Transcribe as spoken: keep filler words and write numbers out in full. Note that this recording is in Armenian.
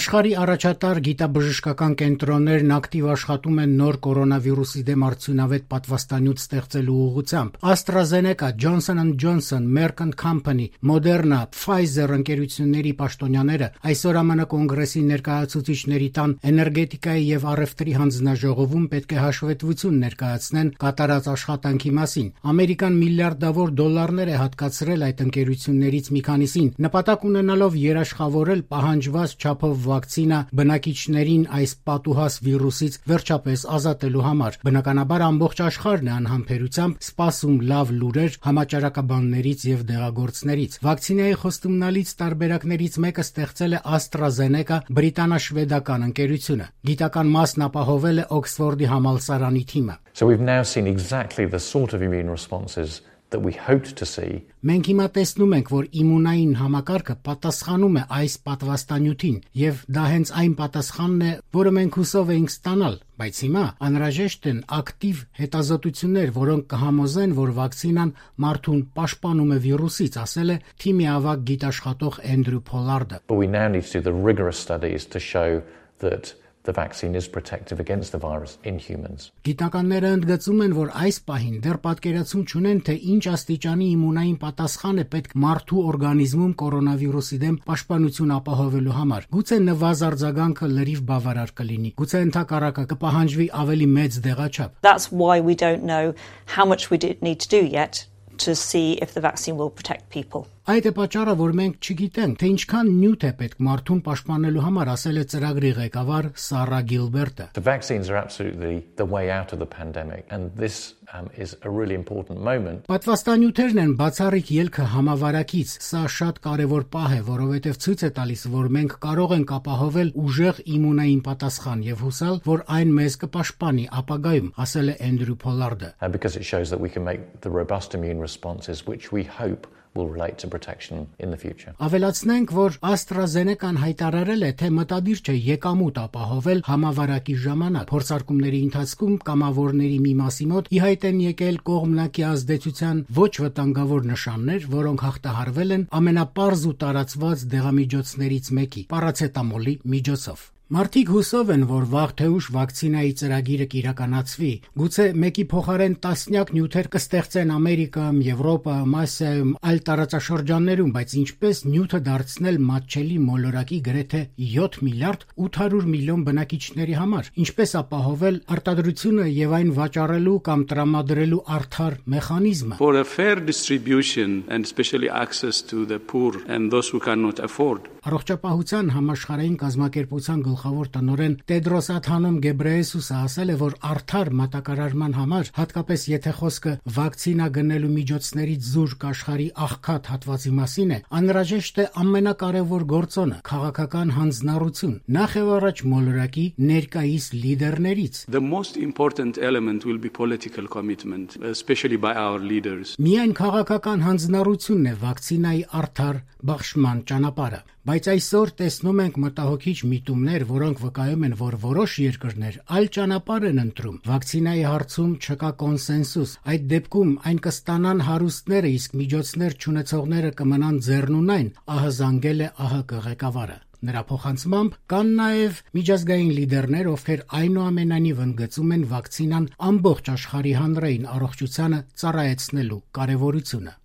Աշխարհի առաջատար գիտաբժշկական կենտրոններն ակտիվ աշխատում են նոր կորոնավիրուսի դեմ արդյունավետ պատվաստանյութ ստեղծելու ուղղությամբ։ AstraZeneca, Johnson and Johnson, Merck and Company, Moderna, Pfizer ընկերությունների պաշտոնյաները այսօր ԱՄՆ կոնգրեսի ներկայացուցիչների տան էներգետիկայի եւ առևտրի հանձնաժողովում պետք է հաշվետվություն ներկայացնեն կատարած աշխատանքի մասին։ Ամերիկան միլիարդավոր դոլարներ է հատկացրել այդ ընկերություններից մի քանիսին, նպատակ ունենալով երաշխավորել պահանջված չափով վակցինա բնակիչներին այս պատուհաս վիրուսից վերջապես ազատելու համար։ Բնականաբար ամբողջ աշխարհն է անհամբերությամբ սպասում լավ լուրեր համաճարակաբաններից եւ դեղագործներից։ Վակցինայի խոստումնալից տարբերակներից մեկը ստեղծել է AstraZeneca բրիտանա-շվեդական ընկերությունը։ Գիտական մասն ապահովել է Օքսֆորդի համալսարանի թիմը։ So we've now seen exactly the sort of immune responses that we hoped to see. Մենք հիմա տեսնում ենք, որ իմունային համակարգը պատասխանում է այս պատվաստանյութին, եւ դա հենց այն պատասխանն է, որը մենք հուսով էինք ստանալ, բայց հիմա անհրաժեշտ են ակտիվ հետազոտություններ, որոնք կհամոզեն, որ վակցինան մարդուն պաշտպանում է վիրուսից, ասել է թիմի ավագ գիտաշխատող Էնդրյու Փոլարդը։ But we now need to do the rigorous studies to show that the vaccine is protective against the virus in humans. Գիտնականները ընդգծում են, որ այս պահին դեռ պատկերացում չունեն, թե ինչ աստիճանի իմունային պատասխան է պետք մարդու օրգանիզմում կորոնավիրուսի դեմ պաշտպանություն ապահովելու համար։ Գուցե նվազ արձագանքը լրիվ բավարար կլինի, գուցե ընդհակառակը կպահանջվի ավելի մեծ դեղաչափ։ That's why we don't know how much we need to do yet to see if the vaccine will protect people. Այդ է պատճառը, որ մենք չգիտենք, թե ինչքան նյութ է պետք մարդուն պաշտպանելու համար, ասել է ծրագրի ղեկավար Սարա Գիլբերտը։ The vaccines are absolutely the way out of the pandemic, and this um, is a really important moment. Պատվաստանյութերն են բացառիկ ելքը համավարակից։ Սա շատ կարևոր պահ է, որովհետև ցույց է տալիս, որ մենք կարող ենք ապահովել ուժեղ իմունային պատասխան եւ հուսալ, որ այն մեզ կպաշտպանի ապագայում, ասել է Էնդրյու Փոլարդը։ And because it shows that we can make the robust immune responses which we hope will relate to protection in the future. Ավելացնենք, որ AstraZeneca-ն հայտարարել է, թե մտադիր չէ եկամուտ ապահովել համավարակի ժամանակ։ Փորձարկումների ընթացքում կամավորների մի մասի մոտ ի հայտ են եկել կողմնակի ազդեցության ոչ վտանգավոր նշաններ, որոնք հաղթահարվել են ամենապարզ ու տարածված դեղամիջոցներից մեկի՝ պարացետամոլի միջոցով։ Մարդիկ հուսով են, որ վաղ թե ուշ վակցինայի ծրագիրը կիրականացվի։ Գուցե մեկի փոխարեն տասնյակ նյութեր կստեղծեն Ամերիկայում, Եվրոպայում, Ասիայում, այլ տարածաշրջաններում, բայց ինչպես նյութը դարձնել մատչելի մոլորակի գրեթե յոթ միլիարդ ութ հարյուր միլիոն բնակիչների համար, ինչպես ապահովել արտադրությունը եւ այն վաճառելու կամ տրամադրելու արդար մեխանիզմը։ For a fair distribution and especially access to the poor and those who cannot afford. Առողջապահության համաշխարհային կազմակերպության գլխավոր տնօրեն Տեդրոս Ադհանոմ Գեբրեյեսուսը ասել է, որ արդար մատակարարման համար, հատկապես եթե խոսքը վակցինա գնելու միջոցներից զուրկ աշխարհի աղքատ հատվածի մասին է, անհրաժեշտ է ամենակարևոր գործոնը՝ քաղաքական հանձնառություն, նախ եւ առաջ մոլորակի ներկայիս լիդերներից։ The most important element will be political commitment, especially by our leaders. Միայն քաղաքական հանձնառությունն է վակցինայի արդար բաշխման ճանապարհը, բայց այսօր տեսնում ենք մտահոգիչ միտումներ, որոնք վկայում են, որ որոշ երկրներ այլ ճանապարհ են ընտրում։ Վակցինայի հարցում չկա կոնսենսուս։ Այդ դեպքում այն կստանան հարուստները, իսկ միջոցներ չունեցողները կմնան ձեռնունայն, ահազանգել է ԱՀԿ ղեկավարը։ Նրա փոխանցմամբ կան նաև միջազգային լիդերներ, ովքեր այնուամենայնիվ ընդգծում են վակցինան ամբողջ աշխարհի հանրային առողջությանը ծառայեցնելու կարևորությունը։